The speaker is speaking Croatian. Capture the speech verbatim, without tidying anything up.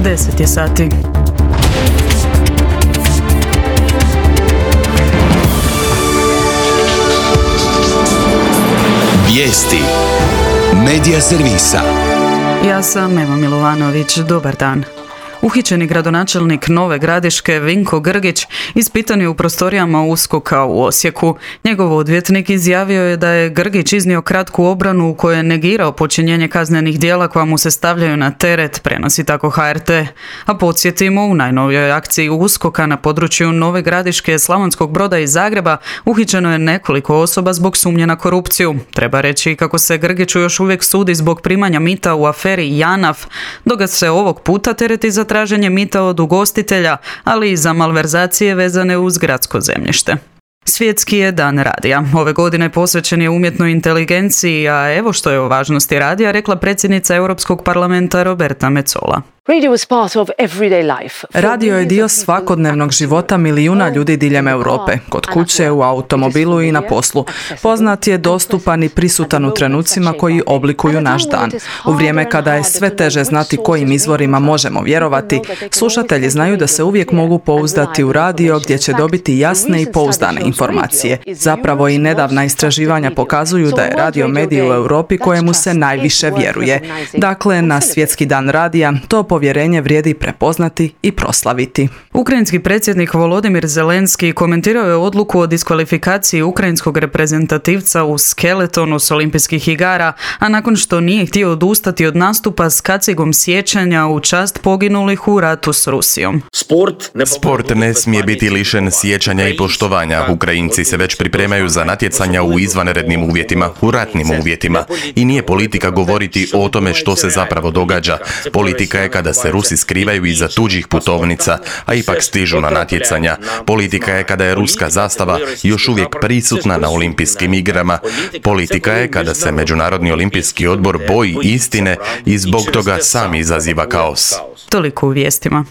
deset je sati. Vijesti Medija servisa. Ja sam Eva Milovanović, dobar dan. Uhićeni gradonačelnik Nove Gradiške Vinko Grgić ispitan je u prostorijama USKOK-a u Osijeku. Njegov odvjetnik izjavio je da je Grgić iznio kratku obranu u kojoj je negirao počinjenje kaznenih djela koja mu se stavljaju na teret, prenosi tako H R T. A podsjetimo, u najnovijoj akciji USKOK-a na području Nove Gradiške, Slavonskog Broda i Zagreba uhićeno je nekoliko osoba zbog sumnje na korupciju. Treba reći kako se Grgiću još uvijek sudi zbog primanja mita u aferi JANAF, dok ga se ovog puta tereti za traženje mita od ugostitelja, ali i za malverzacije vezane uz gradsko zemljište. Svjetski je dan radija. Ove godine posvećen je umjetnoj inteligenciji, a evo što je o važnosti radija rekla predsjednica Europskog parlamenta Roberta Metsola. Radio je dio svakodnevnog života milijuna ljudi diljem Europe, kod kuće, u automobilu i na poslu. Poznat je, dostupan i prisutan u trenucima koji oblikuju naš dan. U vrijeme kada je sve teže znati kojim izvorima možemo vjerovati, slušatelji znaju da se uvijek mogu pouzdati u radio gdje će dobiti jasne i pouzdane informacije. Zapravo i nedavna istraživanja pokazuju da je radio medij u Europi kojemu se najviše vjeruje. Dakle, na Svjetski dan radija to povjerenje vrijedi prepoznati i proslaviti. Ukrajinski predsjednik Volodimir Zelenski komentirao je odluku o diskvalifikaciji ukrajinskog reprezentativca u skeletonu s olimpijskih igara, a nakon što nije htio odustati od nastupa s kacigom sjećanja u čast poginulih u ratu s Rusijom. Sport ne smije biti lišen sjećanja i poštovanja. Ukrajinci se već pripremaju za natjecanja u izvanrednim uvjetima, u ratnim uvjetima. I nije politika govoriti o tome što se zapravo događa. Politika je kada se Rusi skrivaju iza tuđih putovnica, a ipak stižu na natjecanja. Politika je kada je ruska zastava još uvijek prisutna na olimpijskim igrama. Politika je kada se Međunarodni olimpijski odbor boji istine i zbog toga sam izaziva kaos. Toliko u vijestima.